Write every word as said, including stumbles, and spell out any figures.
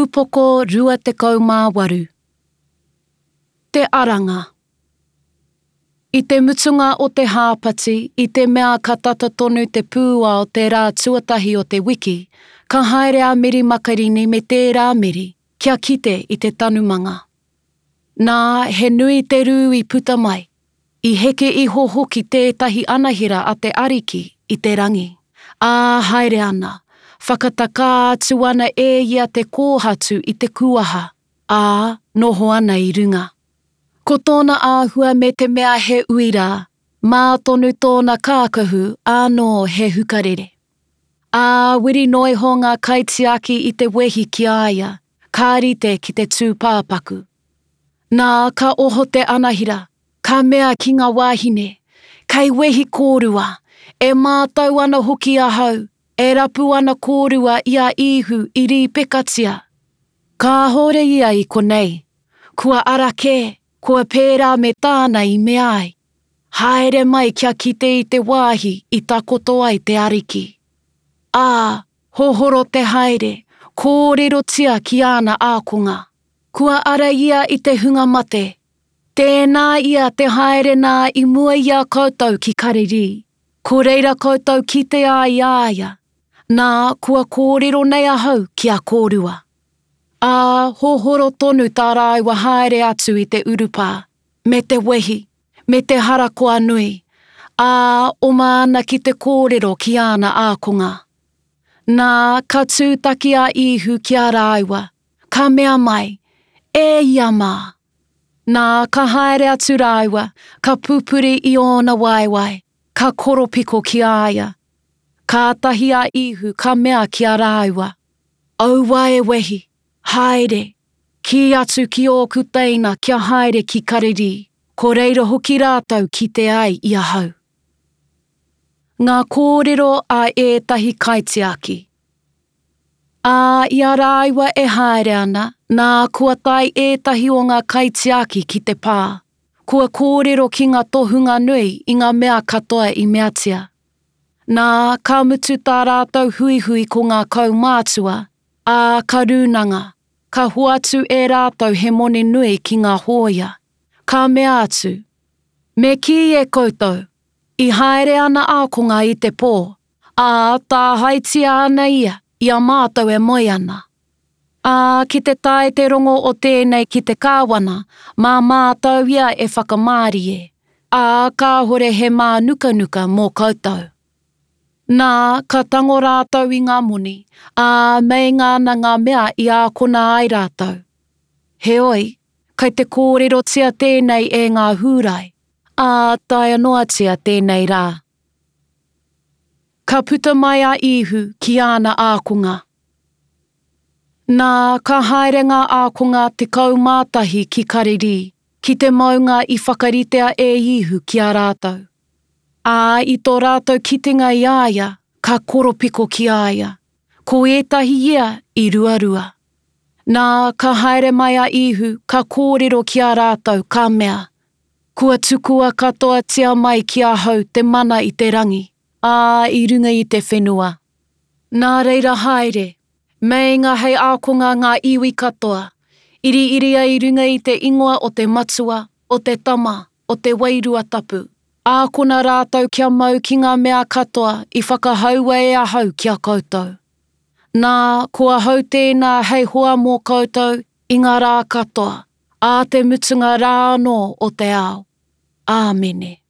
Upoko rua tekau mā waru. Te Aranga. I te mutunga o te hāpati, i te mea ka tata tonu te pūao te rā tuatahi o te wiki, ka haere a Meri Makarini me tērā Meri kia kite i te tanumanga. Nā, he nui te rū i puta mai, i heke iho hoki tētahi anahera a te Ariki i te rangi, ā, haere ana, whakatakā atu ana e ia te kōhatu i te kuaha, ā, noho ana i runga. Ko tōna āhua me te mea he uira, mā tonu tōna kākahu ānō he hukarere. Ā, wiri noa iho ngā kaitiaki i te wehi ki a ia, ka rite ki te tūpāpaku. Nā, ka oho te anahira, ka mea ki ngā wāhine, Kei wehi kōrua, e mātau ana hoki ahau, e rapu ana kōrua i a Īhu i rīpekatia. Kāhore ia i konei, kua ara kē, kua pērā me tāna i mea ai. Haere mai kia kite i te wāhi i takoto ai te Ariki. Ā, hohoro te haere, kōrerotia ki āna ākonga. Kua ara ia i te hunga mate. Tēnā ia te haere nā i mua i a koutou ki Karirī, ko reira koutou kite ai i a ia. Nā, kua kōrero nei ahau ki a kōrua. Ā, hohoro tonu tā rāua haere atu i te urupā, me te wehi, me te harakoa nui, ā, oma ana ki te kōrero ki āna ākonga. Nā, ka tūtaki a Īhu ki a rāua, ka mea mai, E ia mā! Nā, ka haere atu rāua, ka pupuri i ōna waewae, ka koropiko ki a ia. Kātahi a Īhu ka mea ki a rāua, Aua e wehi, haere, kī atu ki ōku teina kia haere ki Karirī, ko reira hoki rātou kite ai i ahau. Ngā kōrero a ētahi kaitiaki. Ā, i a rāua e haere ana, nā, kua tae ētahi o ngā kaitiaki ki te pā, kua kōrero ki ngā tohunga nui i ngā mea katoa i meatia. Nā, ka mutu tā rātou huihui ko ngā kaumātua, ā, ka rūnanga, ka hoatu e rātou he moni nui ki ngā hōia. Ka mea atu, Me kī e koutou, i haere ana ākonga i te pō, ā, tāhaetia ana ia i a mātou e moe ana. Ā, ki te tae te rongo o tēnei ki te kāwana, mā mātou ia e whakamārie, ā, kāhore he mānukanuka mō koutou. Nā, ka tango rātou i ngā moni, ā, meinga ana ngā mea i ākona ai rātou. Heoi, kei te kōrerotia tēnei e ngā Hūrai, ā, taea noatia tēnei rā. Ka puta mai a Īhu ki āna ākonga. Nā, ka haere ngā ākonga tekau mā tahi ki Karirī, ki te maunga i whakaritea e Īhu ki a rātou. Ā, i tō rātou kitenga i a ia, ka koropiko ki a ia, ko ētahi ia i ruarua. Nā, ka haere mai a Īhu, ka kōrero ki a rātou, ka mea, Kua tukua katoatia mai ki ahau te mana i te rangi, ā, i runga i te whenua. Nā reira haere, meinga hei ākonga ngā iwi katoa, iriiria i runga i te ingoa o te Matua, o te Tama, o te Wairua Tapu. Ākona rātou kia mau ki ngā mea katoa i whakahaua e ahau ki a koutou. Nā, ko ahau tēnā hei hoa mō koutou i ngā rā katoa, ā te mutunga rā anō o te ao. Āmene.